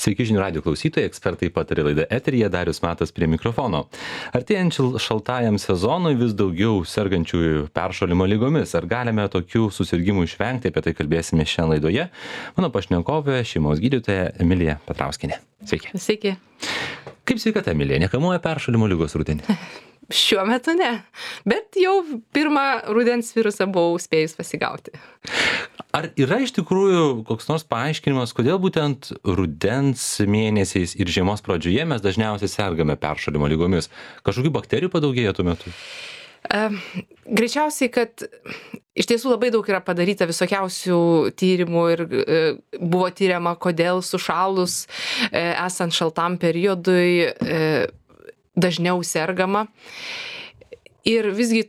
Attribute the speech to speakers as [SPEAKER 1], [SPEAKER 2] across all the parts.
[SPEAKER 1] Sveiki žinių radijo klausytojai, ekspertai patarė laidą eteryje, Darius Matas prie mikrofono. Artėjant šaltajam sezonui vis daugiau sergančiųjų peršalimo lygomis. Ar galime tokių susirgimų išvengti, apie tai kalbėsime šiandien laidoje. Mano pašnekovė šeimos gydytoja Emilija Petrauskienė. Sveiki.
[SPEAKER 2] Sveiki.
[SPEAKER 1] Kaip sveikata, Emilija? Nekamuoja peršalimo lygos rudenį?
[SPEAKER 2] Šiuo metu ne, bet jau pirmą rudens virusą buvau spėjus pasigauti.
[SPEAKER 1] Ar yra iš tikrųjų koks nors paaiškinimas, kodėl būtent rudens mėnesiais ir žiemos pradžioje mes dažniausiai sergame peršalimo lygomis? Kažkokių bakterijų padaugėja tuo metu?
[SPEAKER 2] Greičiausiai, kad iš tiesų labai daug yra padaryta visokiausių tyrimų ir buvo tyriama, kodėl sušalus esant šaltam periodui dažniau sergama. Ir visgi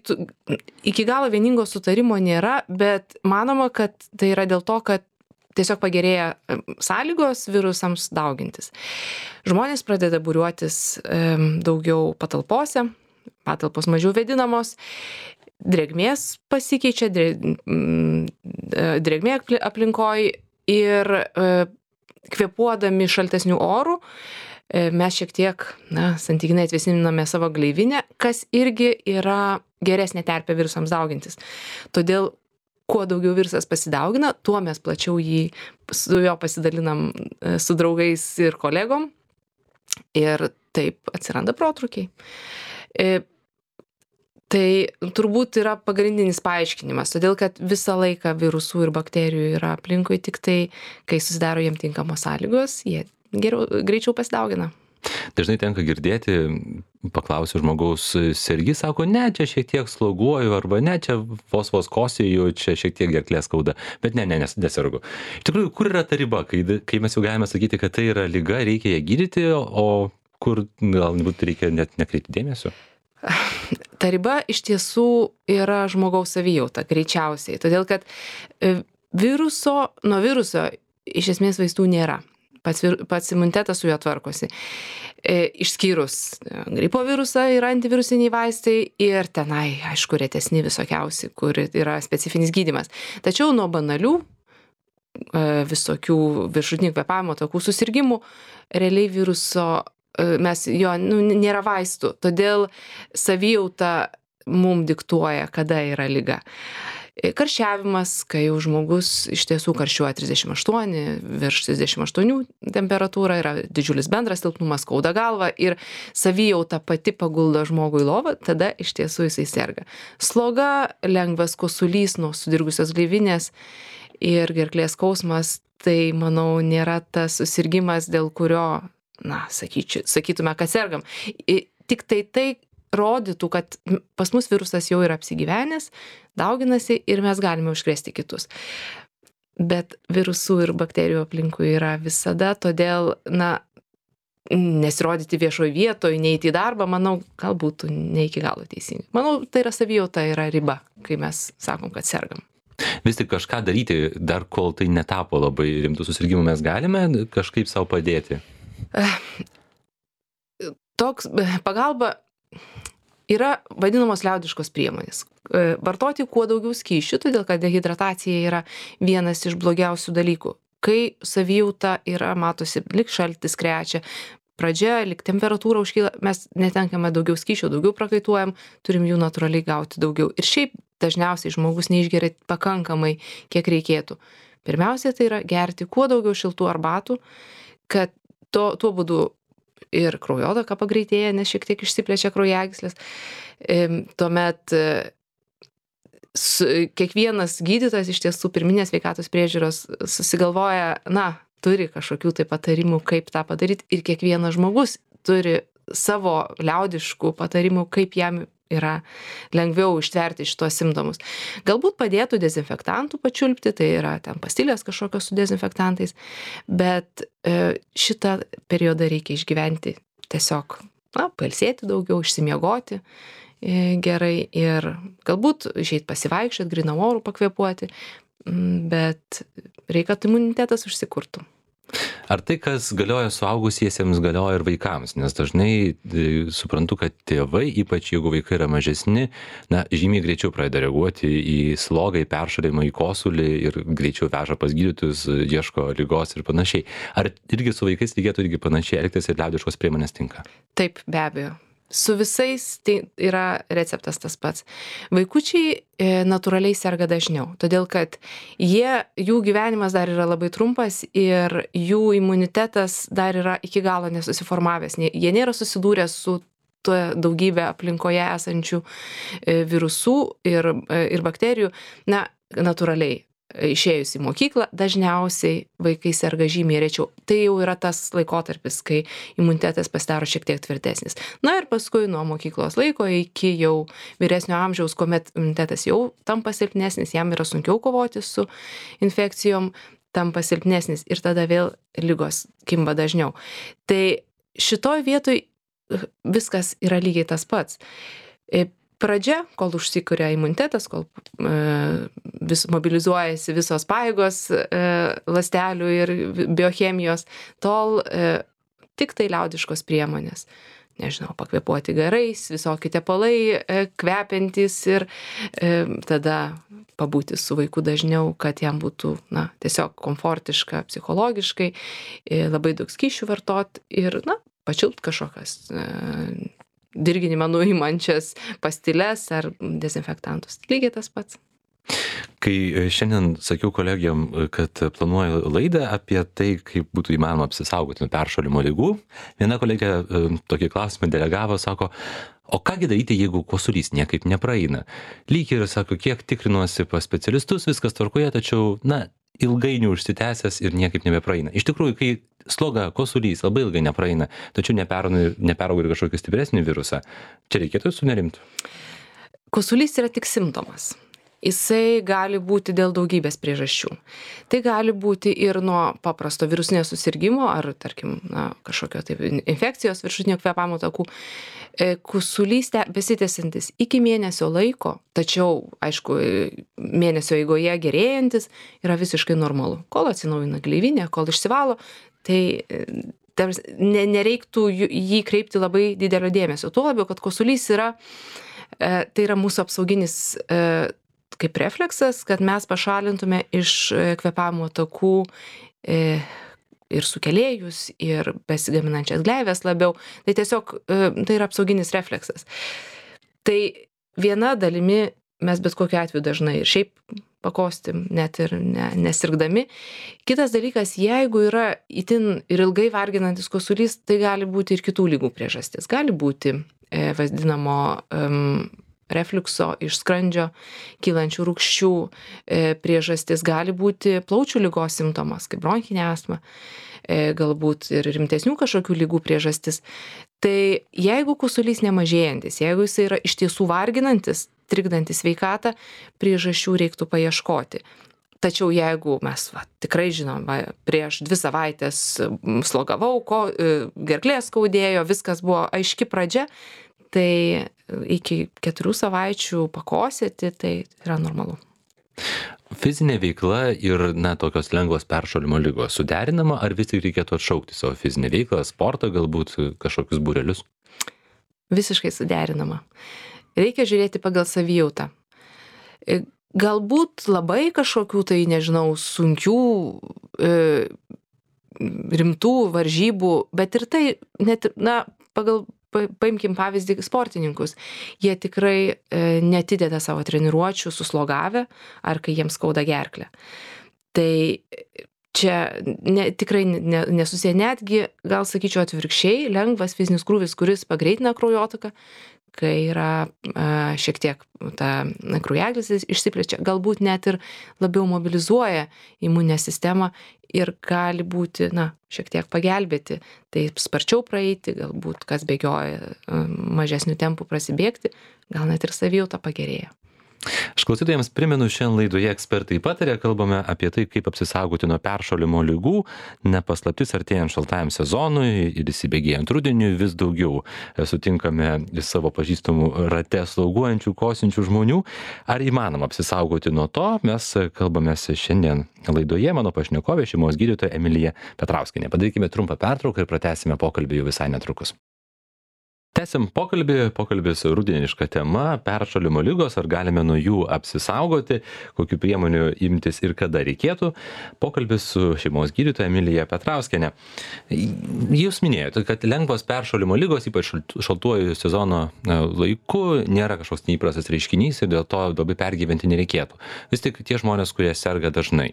[SPEAKER 2] iki galo vieningo sutarimo nėra, bet manoma, kad tai yra dėl to, kad tiesiog pagerėja sąlygos virusams daugintis. Žmonės pradeda būriuotis daugiau patalpose, patalpos mažiau vėdinamos, drėgmės pasikeičia, drėgmė aplinkoj ir kvėpuodami šaltesnių orų mes šiek tiek, santykinai atvėsiname savo gleivinę, kas irgi yra geresnė terpė virusams daugintis. Todėl, kuo daugiau virusas pasidaugina, tuo mes plačiau su jo pasidalinam su draugais ir kolegom ir taip atsiranda protrūkiai. Tai turbūt yra pagrindinis paaiškinimas, todėl kad visą laiką virusų ir bakterijų yra aplinkui, tik tai, kai susidaro jiem tinkamos sąlygos, jie greičiau pasidaugina.
[SPEAKER 1] Dažnai tenka girdėti, paklausiu žmogaus, sergi, sako, ne, čia šiek tiek sloguoju, arba ne, čia vos kosėju, čia šiek tiek gerklė skauda, bet nesergu. Iš tikrųjų, kur yra ta riba, kai mes jau galime sakyti, kad tai yra liga, reikia ją gydyti, o kur galbūt reikia net nekreipti dėmesio?
[SPEAKER 2] Ta riba iš tiesų yra žmogaus savijauta, greičiausiai, todėl kad nuo viruso iš esmės vaistų nėra. Pats imunitetas su juo tvarkosi. Išskyrus gripo virusą yra antivirusiniai vaistai ir tenai, aišku, retesni visokiausi, kur yra specifinis gydymas. Tačiau nuo banalių visokių viršutinių kvėpavimo takų susirgymų realiai viruso nėra vaistų. Todėl savijauta mum diktuoja, kada yra liga. Karščiavimas, kai jau žmogus iš tiesų karščiuoja 38, virš 38 temperatūra, yra didžiulis bendras silpnumas, skauda galva ir savijauta pati paguldo žmogų į lovą, tada iš tiesų jisai serga. Sloga, lengvas kosulys nuo sudirgusios gleivinės ir gerklės skausmas, tai manau nėra tas susirgimas, dėl kurio, sakytume, kad sergam. Tik tai rodytų, kad pas mus virusas jau yra apsigyvenęs, dauginasi ir mes galime užkrėsti kitus. Bet virusų ir bakterijų aplinkui yra visada, todėl, nesirodyti viešoje vietoje, neiti į darbą, manau, galbūt ne iki galo teisingai. Manau, tai yra savijauta, yra riba, kai mes sakom, kad sergam.
[SPEAKER 1] Vis tik kažką daryti, dar kol tai netapo labai rimtų susirgymų, mes galime kažkaip savo padėti?
[SPEAKER 2] Pagalba yra vadinamos liaudiškos priemonės. Vartoti kuo daugiau skysčių, todėl kad dehidratacija yra vienas iš blogiausių dalykų. Kai savijauta yra, matosi, lyg šaltis krečia, pradžia, lyg temperatūra užkyla, mes netenkame daugiau skysčių, daugiau prakaituojam, turim jų natūraliai gauti daugiau. Ir šiaip dažniausiai žmogus neišgeria pakankamai, kiek reikėtų. Pirmiausia, tai yra gerti kuo daugiau šiltų arbatų, kad tuo būdu ir kraujotaka pagreitėja, nes šiek tiek išsiplečia kraujagyslės. Tuomet kiekvienas gydytojas iš tiesų pirminės sveikatos priežiūros susigalvoja, turi kažkokių tai patarimų, kaip tą padaryti, ir kiekvienas žmogus turi savo liaudiškų patarimų, kaip jam yra lengviau ištverti šitos simptomus. Galbūt padėtų dezinfektantų pačiulpti, tai yra ten pastilės kažkokios su dezinfektantais, bet šitą periodą reikia išgyventi tiesiog, pailsėti daugiau, išsimiegoti gerai ir galbūt išeit pasivaikščioti, grynam orų pakvėpuoti, bet reikia, kad imunitetas užsikurtų.
[SPEAKER 1] Ar tai, kas galioja suaugusiesiems, galioja ir vaikams? Nes dažnai suprantu, kad tėvai, ypač jeigu vaikai yra mažesni, na, žymiai greičiau pradeda reaguoti į slogą, į peršalimą, į kosulį ir greičiau veža pas gydytojus, ieško ligos ir panašiai. Ar irgi su vaikais reikėtų irgi panašiai elgtis ir liaudiškos priemonės tinka?
[SPEAKER 2] Taip, be abejo. Su visais tai yra receptas tas pats. Vaikučiai natūraliai serga dažniau, todėl kad jų gyvenimas dar yra labai trumpas ir jų imunitetas dar yra iki galo nesusiformavęs. Jie nėra susidūrę su daugybė aplinkoje esančių virusų ir bakterijų. Na, natūraliai. Išėjus į mokyklą, dažniausiai vaikai serga žymiai rečiau. Tai jau yra tas laikotarpis, kai imunitetas pasidaro šiek tiek tvirtesnis. Na ir paskui nuo mokyklos laiko iki jau vyresnio amžiaus, kuomet imunitetas jau tampa silpnesnis, jam yra sunkiau kovoti su infekcijom, tampa silpnesnis ir tada vėl ligos kimba dažniau. Tai šitoj vietoj viskas yra lygiai tas pats. Pradžia, kol užsikuria imunitetas, kol mobilizuojasi visos pajėgos ląstelių ir biochemijos, tol tik tai liaudiškos priemonės. Nežinau, pakvėpuoti garais, visokie tepalai kvepiantys ir tada pabūti su vaiku dažniau, kad jam būtų tiesiog komfortiška psichologiškai, labai daug skysčių vartot ir pačiult kažkokias dirginimą nuimančias pastiles ar dezinfektantus. Lygiai tas pats.
[SPEAKER 1] Kai šiandien sakiau kolegijom, kad planuoju laidą apie tai, kaip būtų įmanoma apsisaugoti nuo peršalimo ligų, viena kolegė tokį klausimą delegavo, sako, o kągi daryti, jeigu kosulys niekaip nepraeina? Lyg ir sako, kiek tikrinuosi pas specialistus, viskas tvarkoje, tačiau, ilgainiui užsitęsęs ir niekaip nebepraeina. Iš tikrųjų, kai sloga, kosulys labai ilgai nepraeina, tačiau neperauga ir kažkokį stipresnį virusą, čia reikėtų sunerimti?
[SPEAKER 2] Kosulys yra tik simptomas. Jisai gali būti dėl daugybės priežasčių. Tai gali būti ir nuo paprasto virusinio susirgimo ar, tarkim, kažkokio infekcijos viršutinio kvėpavimo takų. Kosulys besitęsiantis iki mėnesio laiko, tačiau, aišku, mėnesio eigoje gerėjantis yra visiškai normalu. Kol atsinaujina gleivinė, kol išsivalo, tai nereiktų jį kreipti labai didelio dėmesio. Tuo labiau, kad kosulys tai yra mūsų apsauginis kaip refleksas, kad mes pašalintume iš kvėpavimo takų ir sukėlėjus, ir besigaminančias gleives labiau. Tai tiesiog tai yra apsauginis refleksas. Tai viena dalimi mes bet kokiu atveju dažnai ir šiaip pakostim, net ir nesirgdami. Kitas dalykas, jeigu yra itin ir ilgai varginantis kosulys, tai gali būti ir kitų ligų priežastis. Gali būti vadinamo refliukso iš skrandžio kylančių rūgščių priežastis, gali būti plaučių ligos simptomas, kaip bronchinė astma, galbūt ir rimtesnių kažkokių ligų priežastis. Tai jeigu kosulys nemažėjantis, jeigu jis yra iš tiesų varginantis, trikdantis sveikatą, priežasčių reiktų paieškoti. Tačiau jeigu mes tikrai žinom, prieš 2 savaitės slogavau, gerklė skaudėjo, viskas buvo aiški pradžia, tai iki 4 savaičių pakosėti, tai yra normalu.
[SPEAKER 1] Fizinė veikla ir tokios lengvos peršalimo ligos suderinama, ar vis tik reikėtų atšaukti savo fizinę veiklą, sportą, galbūt kažkokius būrelius?
[SPEAKER 2] Visiškai suderinama. Reikia žiūrėti pagal savijautą. Galbūt labai kažkokių tai, nežinau, sunkių, rimtų varžybų, bet ir tai, net, paimkim pavyzdį sportininkus. Jie tikrai neatideda savo treniruočių suslogavę ar kai jiems skauda gerklę. Tai čia tikrai nesusiję, netgi, gal sakyčiau atvirkščiai, lengvas fizinis krūvis, kuris pagreitina kraujotaką, kai yra šiek tiek ta kraujagyslės išsiplečia, galbūt net ir labiau mobilizuoja imuninę sistemą ir gali būti, šiek tiek pagelbėti, taip sparčiau praeiti, galbūt kas bėgioja mažesnių tempų prasibėgti, gal net ir savijauta pagerėja.
[SPEAKER 1] Aš klausytojams primenu, šiandien laidoje ekspertai patarė, kalbame apie tai, kaip apsisaugoti nuo peršalimo ligų, nepaslaptis artėjant šaltajam sezonui ir įsibėgėjant rudeniui vis daugiau sutinkame savo pažįstamų rate slauguojančių, kosinčių žmonių. Ar įmanoma apsisaugoti nuo to? Mes kalbamės šiandien laidoje, mano pašnekovė, šeimos gydytoja Emilija Petrauskienė. Padarykime trumpą pertrauką ir pratęsime pokalbį jau visai netrukus. Tęsim pokalbis rudeniška tema, peršalimo ligos, ar galime nuo jų apsisaugoti, kokių priemonių imtis ir kada reikėtų. Pokalbis su šeimos gydytoja Emilija Petrauskienė. Jūs minėjote, kad lengvos peršalimo ligos, ypač šaltuoju sezono laiku, nėra kažkoks neįprastas reiškinys ir dėl to labai pergyventi nereikėtų. Vis tik tie žmonės, kurie serga dažnai.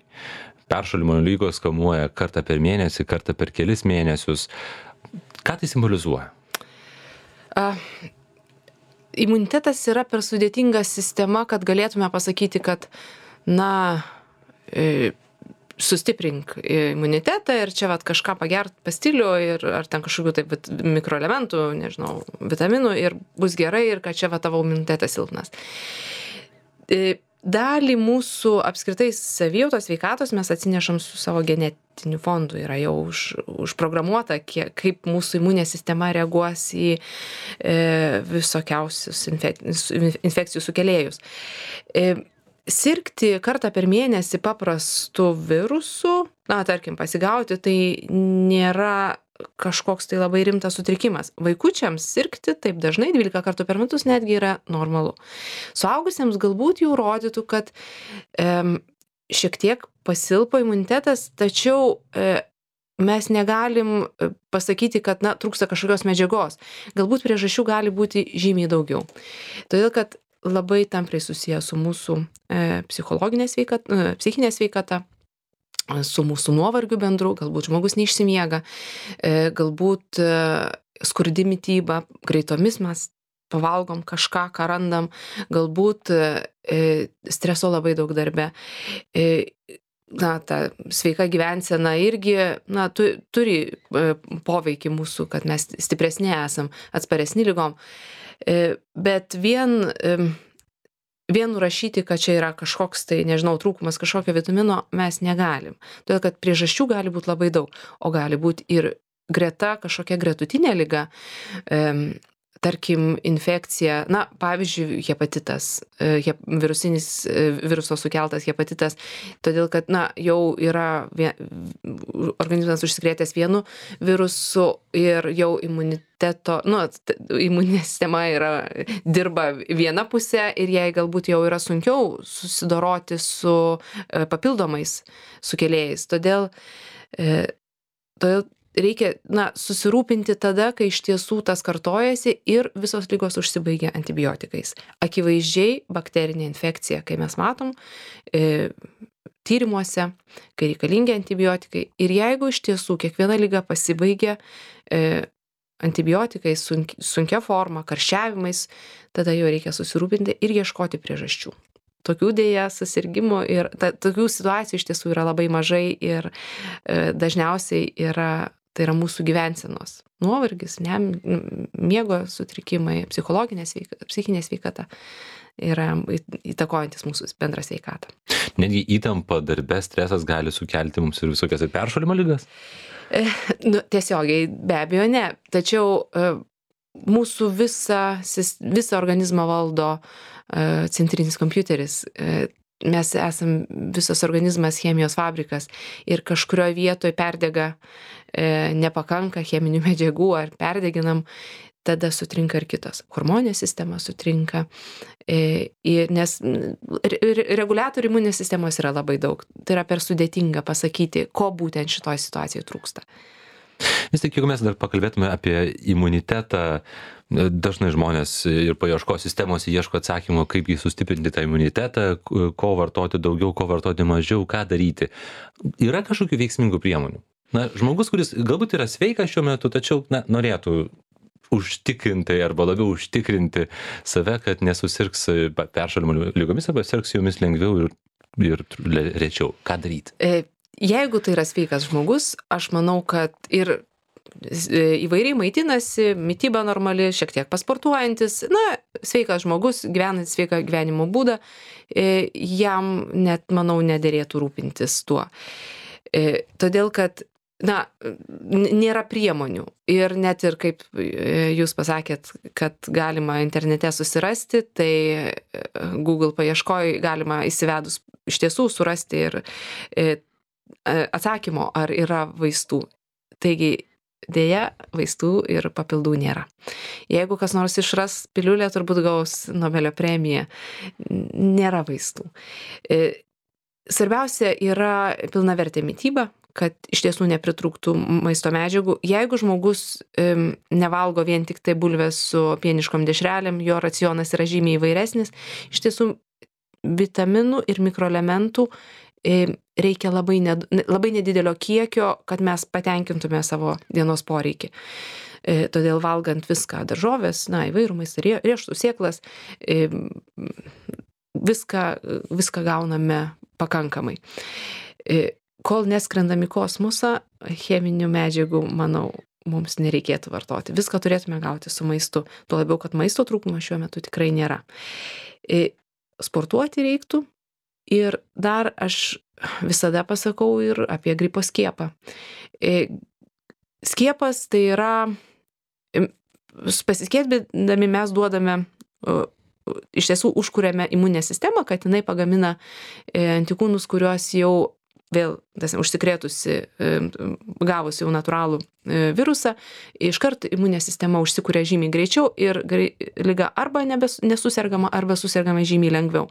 [SPEAKER 1] Peršalimo ligos kamuoja kartą per mėnesį, kartą per kelis mėnesius. Ką tai simbolizuoja?
[SPEAKER 2] Imunitetas yra per sudėtinga sistema, kad galėtume pasakyti, kad, sustiprink imunitetą ir čia kažką pagert pastilių ar ten kažkokių taip mikroelementų, nežinau, vitaminų ir bus gerai ir kad čia tavo imunitetas silpnas. Dalį mūsų apskritai savijautos sveikatos mes atsinešam su savo genetiniu fondu. Yra jau užprogramuota, kaip mūsų imuninė sistema reaguos į visokiausius infekcijų sukėlėjus. Sirgti kartą per mėnesį paprastu virusu, tarkim, pasigauti, tai nėra kažkoks tai labai rimtas sutrikimas. Vaikučiams sirgti taip dažnai 12 kartų per metus netgi yra normalu. Suaugusiems galbūt jau rodytų, kad šiek tiek pasilpo imunitetas, tačiau mes negalim pasakyti, kad trūksta kažkokios medžiagos. Galbūt priežasčių gali būti žymiai daugiau. Todėl, kad labai tampriai susiję su mūsų psichinė sveikata, su mūsų nuovargiu bendru, galbūt žmogus neišsimiega, galbūt skurdi mityba, greitomis mes pavalgom kažką, ką randam, galbūt streso labai daug darbe. Ta sveika gyvensena irgi turi poveikį mūsų, kad mes stipresni esam, atsparesni ligom. Bet vien nurašyti, kad čia yra kažkoks tai, trūkumas kažkokio vitamino, mes negalim. Todėl, kad priežasčių gali būti labai daug, o gali būti ir greta kažkokia gretutinė liga, tarkim, infekcija, pavyzdžiui, hepatitas, viruso sukeltas hepatitas, todėl, kad, jau yra organizmas užsikrėtęs vienu virusu ir jau imuninė sistema dirba viena pusė ir jai galbūt jau yra sunkiau susidoroti su papildomais sukėlėjais. Todėl reikia susirūpinti tada, kai iš tiesų tas kartojasi ir visos ligos užsibaigia antibiotikais. Akivaizdžiai bakterinė infekcija, kai mes matom tyrimuose, kai reikalingi antibiotikai. Ir jeigu iš tiesų kiekviena liga pasibaigia antibiotikais, sunkia forma, karščiavimais, tada jau reikia susirūpinti ir ieškoti priežasčių. Tokių dėja susirgymų ir tokių situacijų iš tiesų yra labai mažai ir dažniausiai tai yra mūsų gyvensenos nuovargis, miego sutrikimai, psichinė sveikata yra įtakojantis mūsų bendrą sveikatą.
[SPEAKER 1] Netgi įtampa darbe, stresas gali sukelti mums ir visokias ir peršalimo ligas?
[SPEAKER 2] Tiesiogiai be abejo ne, tačiau mūsų visą organizmą valdo centrinis kompiuteris. Mes esam visas organizmas chemijos fabrikas ir kažkurioje vietoje perdega, nepakanka cheminių medžiagų ar perdeginam, tada sutrinka ir kitos. Hormoninė sistema sutrinka, nes reguliatorių imuninės sistemos yra labai daug. Tai yra per sudėtinga pasakyti, ko būtent šitoj situacijoje trūksta.
[SPEAKER 1] Vis tik, jeigu mes dar pakalbėtume apie imunitetą, dažnai žmonės ir paieškos sistemos ieško atsakymų, kaip jį sustiprinti tą imunitetą, ko vartoti daugiau, ko vartoti mažiau, ką daryti. Yra kažkokių veiksmingų priemonių? Žmogus, kuris galbūt yra sveikas šiuo metu, tačiau norėtų užtikrinti arba labiau užtikrinti save, kad nesusirgs peršalimo ligomis arba sirgs jomis lengviau ir rečiau. Ką daryti?
[SPEAKER 2] Jeigu tai yra sveikas žmogus, aš manau, kad ir įvairiai maitinasi, mityba normali, šiek tiek pasportuojantis, sveikas žmogus, gyvenantis sveiką gyvenimo būdą, jam net, manau, nederėtų rūpintis tuo. Todėl, kad nėra priemonių ir net ir kaip jūs pasakėt, kad galima internete susirasti, tai Google paieškoj galima įsivedus iš tiesų surasti ir atsakymo, ar yra vaistų. Taigi, dėja, vaistų ir papildų nėra. Jeigu kas nors išras piliulę, turbūt gaus Nobelio premiją. Nėra vaistų. Svarbiausia yra pilnavertė mityba, kad iš tiesų nepritrūktų maisto medžiagų. Jeigu žmogus nevalgo vien tik tai bulvės su pieniškom dešrelėm, jo racionas yra žymiai įvairesnis, iš tiesų vitaminų ir mikroelementų reikia labai nedidelio kiekio, kad mes patenkintume savo dienos poreikį. Todėl valgant viską, daržovės, įvairų maistą, riešutus, sėklas, viską gauname pakankamai. Kol neskrendam į kosmosą, cheminių medžiagų, manau, mums nereikėtų vartoti. Viską turėtume gauti su maistu. Tuo labiau, kad maisto trūkumo šiuo metu tikrai nėra. Sportuoti reiktų. Ir dar aš visada pasakau ir apie gripo skiepą. Skiepas tai yra, pasiskiepydami mes duodame, iš tiesų užkuriame imuninę sistemą, kad jinai pagamina antikūnus, kuriuos jau vėl užsikrėtusi, gavusi jau natūralų virusą, iškart imuninė sistema užsikuria žymiai greičiau ir liga arba nesusergama, arba susergama žymiai lengviau.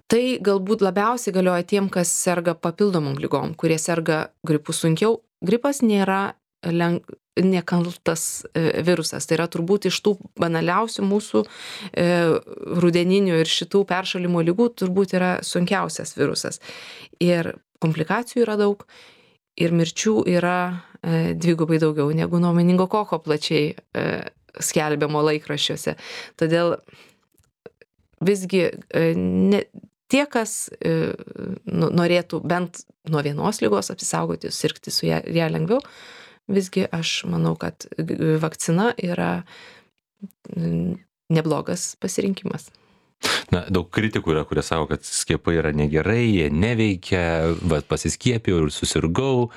[SPEAKER 2] Tai galbūt labiausiai galioja tiem, kas serga papildomom lygom, kurie serga gripu sunkiau. Gripas nėra nekaltas virusas. Tai yra turbūt iš tų banaliausių mūsų rudeninių ir šitų peršalimo lygų turbūt yra sunkiausias virusas. Ir komplikacijų yra daug ir mirčių yra dvigubai daugiau negu nuo meningokoko plačiai skelbiamo laikraščiuose. Todėl visgi tie, kas norėtų bent nuo vienos ligos apsisaugoti, sirgti su ją lengviau, visgi aš manau, kad vakcina yra neblogas pasirinkimas.
[SPEAKER 1] Daug kritikų yra, kurie sako, kad skiepai yra negerai, jie neveikia, pasiskiepijau ir susirgau.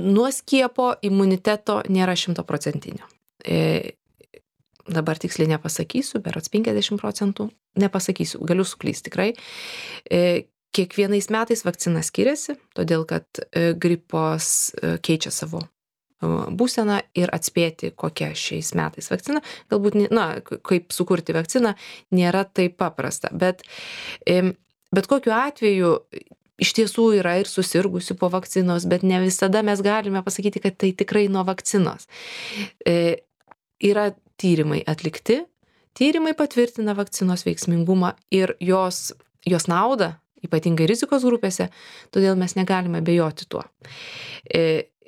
[SPEAKER 2] Nuo skiepo imuniteto nėra 100%. Dabar tiksliai nepasakysiu, berods 50%. Nepasakysiu, galiu suklysti tikrai. Kiekvienais metais vakcina skiriasi, todėl kad gripas keičia savo būseną ir atspėti, kokia šiais metais vakcina. Galbūt, kaip sukurti vakciną, nėra taip paprasta. Bet kokiu atveju iš tiesų yra ir susirgusių po vakcinos, bet ne visada mes galime pasakyti, kad tai tikrai nuo vakcinos. Yra tyrimai atlikti, tyrimai patvirtina vakcinos veiksmingumą ir jos naudą, ypatingai rizikos grupėse, todėl mes negalime abejoti tuo.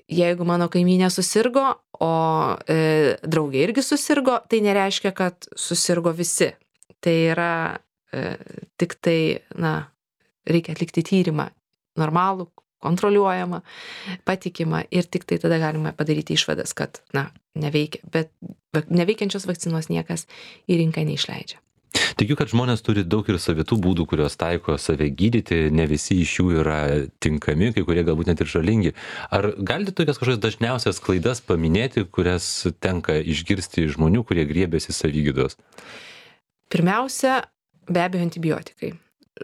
[SPEAKER 2] Jeigu mano kaimynė susirgo, o draugė irgi susirgo, tai nereiškia, kad susirgo visi. Tai yra tik tai, reikia atlikti tyrimą normalų, kontroliuojama, patikima ir tik tai tada galime padaryti išvadas, kad, neveikia. Bet neveikiančios vakcinos niekas į rinką neišleidžia.
[SPEAKER 1] Tikiu, kad žmonės turi daug ir savitų būdų, kurios taiko save gydyti, ne visi iš jų yra tinkami, kai kurie galbūt net ir žalingi. Ar galite tokias kažkokias dažniausias klaidas paminėti, kurias tenka išgirsti žmonių, kurie griebiasi savigydos?
[SPEAKER 2] Pirmiausia, be abejo, antibiotikai.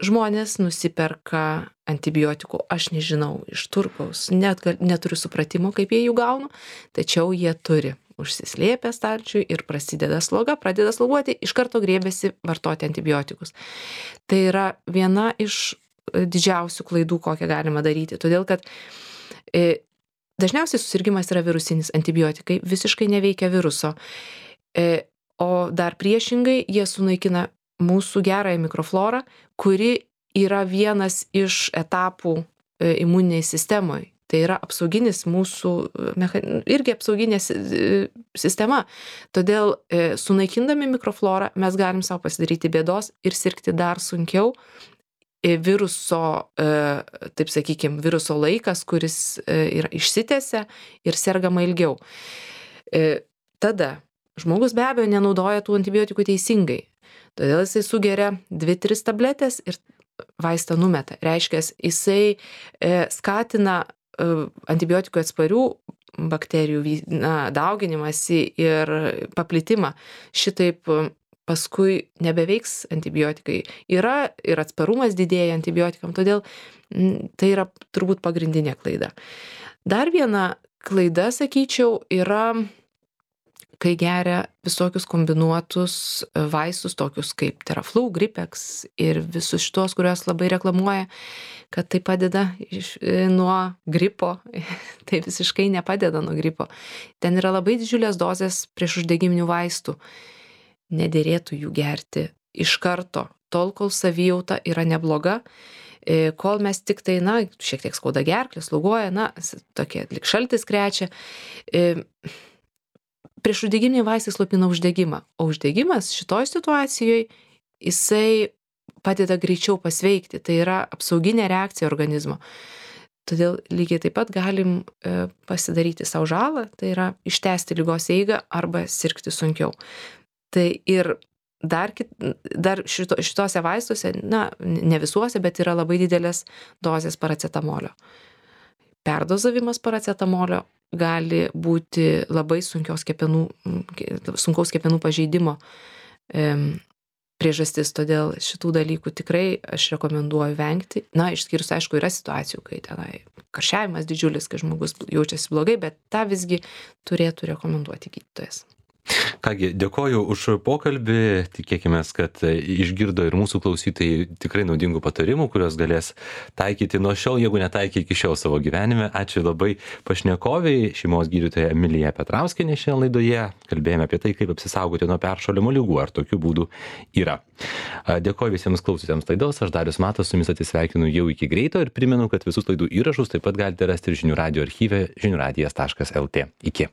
[SPEAKER 2] Žmonės nusiperka antibiotikų, aš nežinau, iš turgaus, neturiu supratimo, kaip jie jų gauna, tačiau jie turi. Užsislėpę stalčiui ir prasideda sloga, pradeda sloguoti, iš karto griebiasi vartoti antibiotikus. Tai yra viena iš didžiausių klaidų, kokią galima daryti, todėl kad dažniausiai susirgimas yra virusinis, antibiotikai visiškai neveikia viruso, o dar priešingai jie sunaikina mūsų gerąją mikroflorą, kuri yra vienas iš etapų imuniniai sistemoje. Tai yra apsauginis mūsų, irgi apsauginė sistema. Todėl sunaikindami mikroflorą mes galim savo pasidaryti bėdos ir sirgti dar sunkiau viruso, taip sakykime, viruso laikas, kuris yra išsitęsia ir sergama ilgiau. Tada žmogus be abejo nenaudoja tų antibiotikų teisingai. Todėl jisai sugeria 2-3 tabletės ir vaistą numeta. Reiškia, jisai skatina antibiotikų atsparių bakterijų dauginimąsi ir paplitimą. Šitaip paskui nebeveiks antibiotikai. Yra ir atsparumas didėja antibiotikam, todėl tai yra turbūt pagrindinė klaida. Dar viena klaida, sakyčiau, yra, kai geria visokius kombinuotus vaistus, tokius kaip Theraflu, Gripex ir visus šitos, kuriuos labai reklamuoja, kad tai padeda nuo gripo. Tai visiškai nepadeda nuo gripo. Ten yra labai didžiulės dozės priešuždegiminių vaistų. Nedėrėtų jų gerti iš karto, tol, kol savijauta yra nebloga, kol mes tik tai, šiek tiek skauda gerklę, sloguoja, tokie lyg šaltis krečia. Priešuždegiminiai vaistai slopina uždegimą, o uždegimas šitoj situacijoje jisai padeda greičiau pasveikti, tai yra apsauginė reakcija organizmo. Todėl lygiai taip pat galim pasidaryti savo žalą, tai yra ištęsti ligos eigą arba sirgti sunkiau. Tai ir dar šitose vaistuose, ne visuose, bet yra labai didelės dozės paracetamolio. Perdozavimas paracetamolio gali būti labai sunkaus kepenų pažeidimo priežastis, todėl šitų dalykų tikrai aš rekomenduoju vengti. Išskyrus, aišku, yra situacijų, kai tenai karščiavimas didžiulis, kai žmogus jaučiasi blogai, bet tą visgi turėtų rekomenduoti gydytojas.
[SPEAKER 1] Kągi, dėkoju už pokalbį, tikėkime, kad išgirdo ir mūsų klausytojai tikrai naudingų patarimų, kuriuos galės taikyti nuo šiol, jeigu netaikė iki šiol savo gyvenime. Ačiū labai pašnekoviai, šeimos gydytoja Emilija Petrauskienė šiandien laidoje. Kalbėjome apie tai, kaip apsisaugoti nuo peršalimo ligų, ar tokių būdų yra. Dėkoju visiems klausytėms laidos, aš Darius Matas, su jumis atsisveikinu jau iki greito ir primenu, kad visus laidų įrašus taip pat galite rasti ir žinių radijo archyve žiniųradijas.lt. Iki.